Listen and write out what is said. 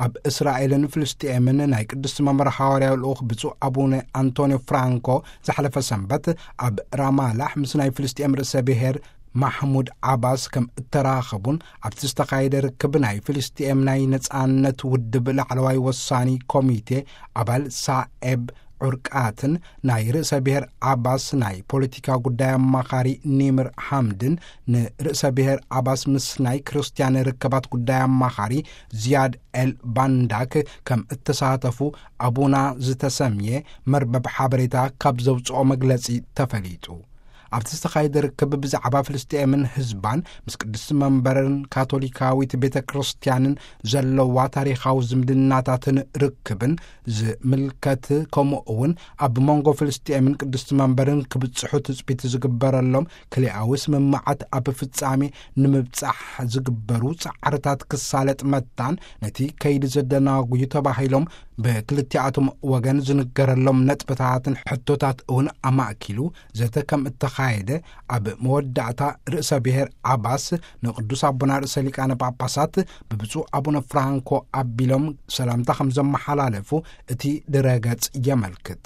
ኣብ እስራኤልን ፍልስጤምን ናይ ቅድስቲ መንበር ሓዋርያዊ ልኡኽ ብፁዕ ኣቡነ ኣንቶኒዮ ፍራንኮ ዝሓለፈ ሰንበት ኣብ ራማላሕ ምስ ናይ ፍልስጤም ርእሰ ብሔር ማሕሙድ ዓባስ ከም እተራኸቡን ኣብቲ ዝተኻየደ ርክብ ናይ ፍልስጤም ናይ ነጻነት ውድብ ላዕለዋይ ወሳኒ ኮሚቴ ኣባል ሳኤብ ዑርቃትን ናይ ርእሰ ብሔር ዓባስ ናይ ፖለቲካ ጉዳይ ኣማኻሪ ኒምር ሓምድን ንርእሰ ብሔር ዓባስ ምስ ናይ ክርስትያን ርክባት ጉዳይ ኣማኻሪ ዝያድ ኤል ባንዳክ ከም እተሳተፉ ኣቡና ዝተሰምየ መርበብ ሓበሬታ ካብ ዘውፅኦ መግለጺ ተፈሊጡ። ኣብቲ ዝተኻየደ ርክብ ብዛዕባ ፍልስጤምን ህዝባን ምስ ቅድስቲ መንበርን ካቶሊካዊት ቤተ ክርስቲያንን ዘለዋ ታሪኻዊ ዝምድናታትን ርክብን ዝምልከት፣ ከምኡ እውን ኣብ መንጎ ፍልስጤምን ቅድስቲ መንበርን ክብጽሑ ትጽቢት ዝግበረሎም ክልኣዊ ስምምዓት ኣብ ፍጻሜ ንምብጻሕ ዝግበሩ ጻዕርታት ክሳለጥ መታን፣ ነቲ ከይዲ ዘደናጉዩ ተባሂሎም ብክልቲኣቶም ወገን ዝንገረሎም ነጥብታትን ሕቶታት እውን ኣማእኪሉ ዘተ ከም እተኻየደ ኣብ መወዳእታ ርእሰ ብሔር ዓባስ ንቅዱስ ኣቦና ርእሰ ሊቃነ ጳጳሳት ብብፁዕ ኣቡነ ፍራንኮ ኣቢሎም ሰላምታ ከም ዘመሓላለፉ እቲ ድረገጽ የመልክት።